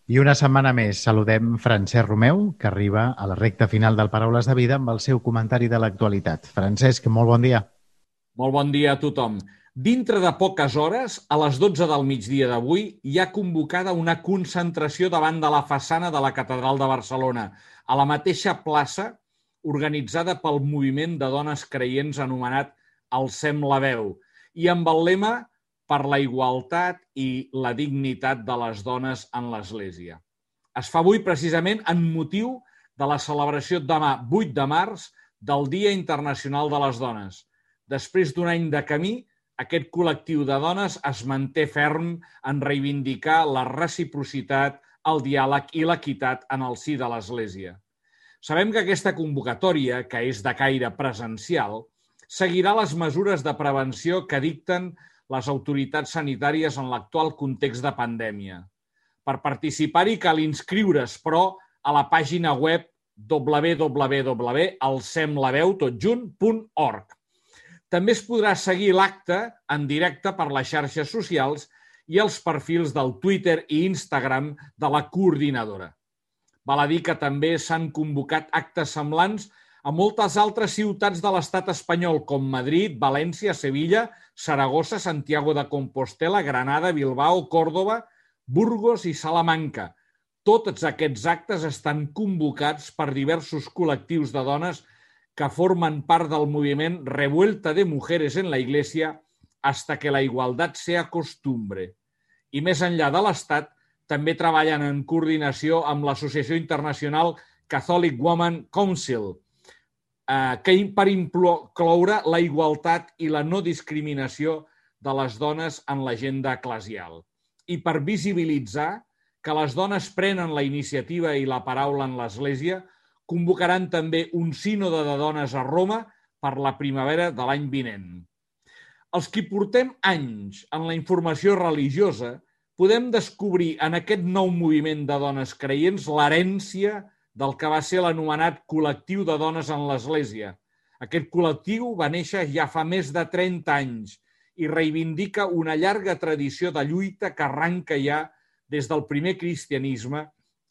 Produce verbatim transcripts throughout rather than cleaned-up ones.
I una setmana més saludem Francesc Romeu, que arriba a la recta final del Paraules de Vida amb el seu comentari de l'actualitat. Francesc, molt bon dia. Molt bon dia a tothom. Dintre de poques hores, a les dotze del migdia d'avui, hi ha convocada una concentració davant de la façana de la Catedral de Barcelona, a la mateixa plaça organitzada pel moviment de dones creients anomenat Alcem la veu, i amb el lema per la igualtat i la dignitat de les dones en l'Església. Es fa avui precisament en motiu de la celebració demà, vuit de març, del Dia Internacional de les Dones. Després d'un any de camí, aquest col·lectiu de dones es manté ferm en reivindicar la reciprocitat, el diàleg i l'equitat en el si de l'Església. Sabem que aquesta convocatòria, que és de caire presencial, seguirà les mesures de prevenció que dicten les autoritats sanitàries en l'actual context de pandèmia. Per participar-hi cal inscriure's, però, a la pàgina web w w w punt alcemlaveu tot junt punt org. També es podrà seguir l'acte en directe per les xarxes socials i els perfils del Twitter i Instagram de la coordinadora. Val a dir que també s'han convocat actes semblants a moltes altres ciutats de l'estat espanyol, com Madrid, València, Sevilla, Saragossa, Santiago de Compostela, Granada, Bilbao, Còrdova, Burgos i Salamanca. Tots aquests actes estan convocats per diversos col·lectius de dones que formen part del moviment Revuelta de Mujeres en la Iglesia hasta que la igualdad sea costumbre. I més enllà de l'Estat, també treballen en coordinació amb l'Associació Internacional Catholic Women Council, que per incloure la igualtat i la no discriminació de les dones en l'agenda eclesial i per visibilitzar que les dones prenen la iniciativa i la paraula en l'Església, convocaran també un sínode de dones a Roma per la primavera de l'any vinent. Els qui portem anys en la informació religiosa podem descobrir en aquest nou moviment de dones creients l'herència del que va ser l'anomenat col·lectiu de dones en l'Església. Aquest col·lectiu va néixer ja fa més de trenta anys i reivindica una llarga tradició de lluita que arranca ja des del primer cristianisme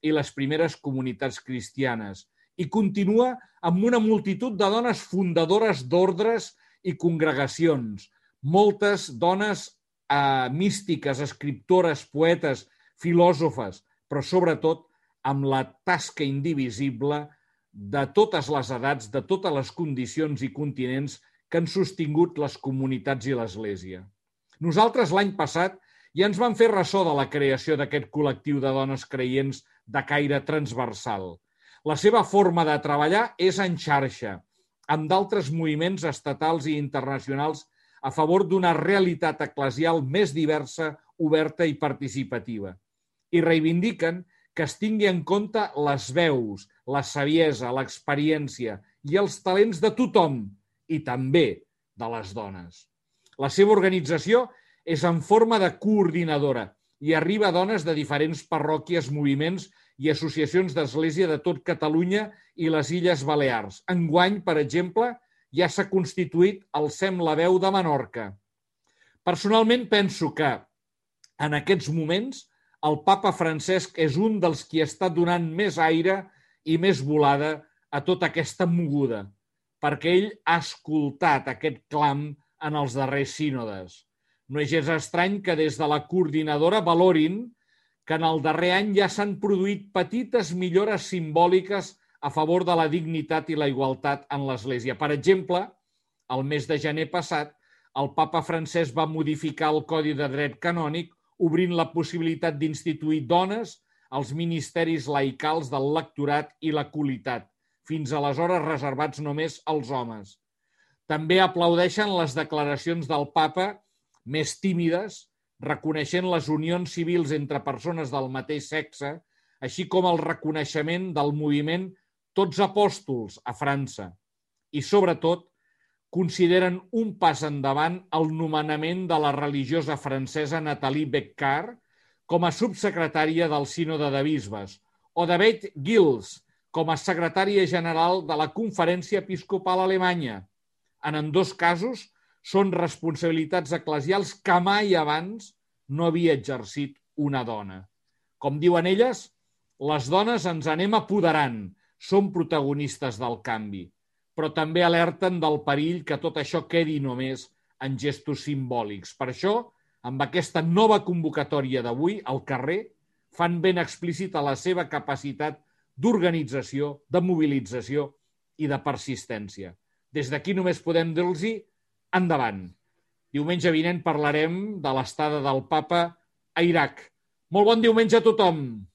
i les primeres comunitats cristianes i continua amb una multitud de dones fundadores d'ordres i congregacions, moltes dones eh, místiques, escriptores, poetes, filòsofes, però sobretot amb la tasca indivisible de totes les edats, de totes les condicions i continents que han sostingut les comunitats i l'Església. Nosaltres l'any passat ja ens vam fer ressò de la creació d'aquest col·lectiu de dones creients de caire transversal. La seva forma de treballar és en xarxa, amb d'altres moviments estatals i internacionals a favor d'una realitat eclesial més diversa, oberta i participativa. I reivindiquen que es tingui en compte les veus, la saviesa, l'experiència i els talents de tothom, i també de les dones. La seva organització és en forma de coordinadora i arriba a dones de diferents parròquies, moviments i associacions d'església de tot Catalunya i les Illes Balears. Enguany, per exemple, ja s'ha constituït Alcem la veu de Menorca. Personalment penso que, en aquests moments, el papa Francesc és un dels qui està donant més aire i més volada a tota aquesta moguda, perquè ell ha escoltat aquest clam en els darrers sínodes. No és gens estrany que des de la coordinadora valorin que en el darrer any ja s'han produït petites millores simbòliques a favor de la dignitat i la igualtat en l'Església. Per exemple, el mes de gener passat, el papa Francesc va modificar el Codi de Dret Canònic obrint la possibilitat d'instituir dones als ministeris laicals del lectorat i la colitat, fins aleshores reservats només als homes. També aplaudeixen les declaracions del papa més tímides, reconeixent les unions civils entre persones del mateix sexe, així com el reconeixement del moviment Tots Apòstols a França. I, sobretot, consideren un pas endavant el nomenament de la religiosa francesa Nathalie Beccard com a subsecretària del Sínode de Bisbes o de Beth Gills com a secretària general de la Conferència Episcopal Alemanya. En ambdós casos, són responsabilitats eclesials que mai abans no havia exercit una dona. Com diuen elles, les dones ens anem apoderant, som protagonistes del canvi, però també alerten del perill que tot això quedi només en gestos simbòlics. Per això, amb aquesta nova convocatòria d'avui, al carrer, fan ben explícita la seva capacitat d'organització, de mobilització i de persistència. Des d'aquí només podem dir-los endavant. Diumenge vinent parlarem de l'estada del papa a Iraq. Molt bon diumenge a tothom!